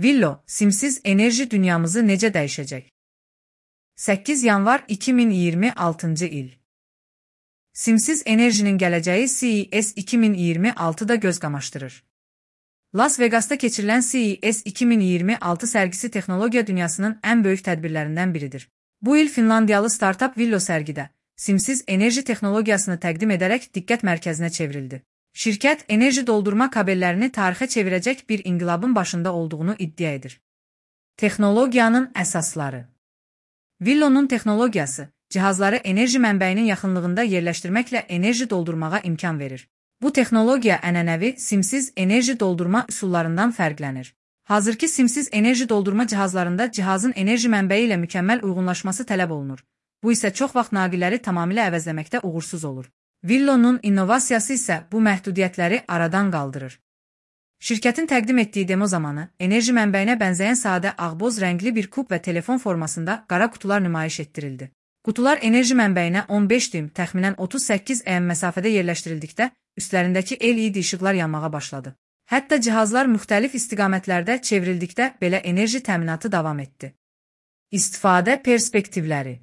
Villo, simsiz enerji dünyamızı necə dəyişəcək? 8 yanvar 2026-cı il. Simsiz enerjinin gələcəyi CES 2026-da göz qamaşdırır. Las Vegas'ta keçirilən CES 2026 sərgisi texnologiya dünyasının ən böyük tədbirlərindən biridir. Bu il Finlandiyalı startup Villo sərgidə simsiz enerji texnologiyasını təqdim edərək diqqət mərkəzinə çevrildi. Şirkət, enerji doldurma kabellərini tarixə çevirəcək bir inqilabın başında olduğunu iddia edir. Texnologiyanın əsasları. Villo'nun texnologiyası, cihazları enerji mənbəyinin yaxınlığında yerləşdirməklə enerji doldurmağa imkan verir. Bu texnologiya ənənəvi simsiz enerji doldurma üsullarından fərqlənir. Hazırki simsiz enerji doldurma cihazlarında cihazın enerji mənbəyi ilə mükəmməl uyğunlaşması tələb olunur. Bu isə çox vaxt naqilləri tamamilə əvəzləməkdə uğursuz olur. Villo'nun innovasiyası isə bu məhdudiyyətləri aradan qaldırır. Şirkətin təqdim etdiyi demo zamanı enerji mənbəyinə bənzəyən sadə ağboz rəngli bir kub və telefon formasında qara qutular nümayiş etdirildi. Qutular enerji mənbəyinə 15 düym, təxminən 38 m məsafədə yerləşdirildikdə üstlərindəki LED işıqlar yanmağa başladı. Hətta cihazlar müxtəlif istiqamətlərdə çevrildikdə belə enerji təminatı davam etdi. İstifadə perspektivləri.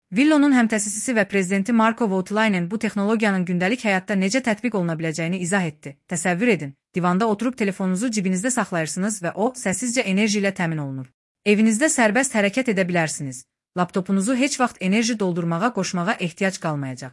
Villo'nun həmtəsisisi və prezidenti Marko Voutilainen bu texnologiyanın gündəlik həyatda necə tətbiq oluna biləcəyini izah etdi. Təsəvvür edin, divanda oturub telefonunuzu cibinizdə saxlayırsınız və o səssizcə enerji ilə təmin olunur. Evinizdə sərbəst hərəkət edə bilərsiniz. Laptopunuzu heç vaxt enerji doldurmağa qoşmağa ehtiyac qalmayacaq.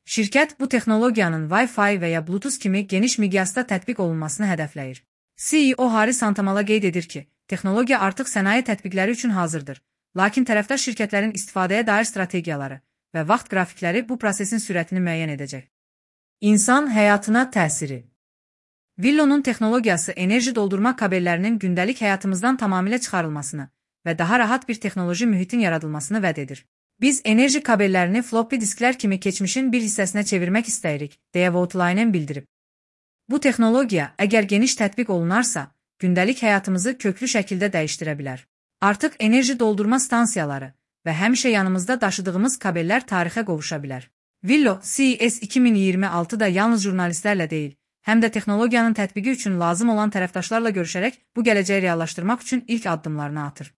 Şirkət bu texnologiyanın Wi-Fi və ya Bluetooth kimi geniş miqyasda tətbiq olunmasını hədəfləyir. CEO Hari Santamala qeyd edir ki, texnologiya artıq sənaye tətbiqləri üçün hazırdır. Lakin tərəfdaş şirkətlərin istifadəyə dair strategiyaları və vaxt qrafikləri bu prosesin sürətini müəyyən edəcək. İnsan həyatına təsiri. Villo'nun texnologiyası enerji doldurma kabellərinin gündəlik həyatımızdan tamamilə çıxarılmasını və daha rahat bir texnoloji mühitin yaradılmasını vəd edir. Biz enerji kabellərini floppy disklər kimi keçmişin bir hissəsinə çevirmək istəyirik, deyə Voutilainen bildirib. Bu texnologiya, əgər geniş tətbiq olunarsa, gündəlik həyatımızı köklü şəkildə dəyişdirə bilər. Artıq enerji doldurma stansiyaları və həmişə yanımızda daşıdığımız kabellər tarixə qovuşa bilər. Villo, CES 2026-da yalnız jurnalistlərlə deyil, həm də texnologiyanın tətbiqi üçün lazım olan tərəfdaşlarla görüşərək bu gələcəyi reallaşdırmaq üçün ilk addımlarını atır.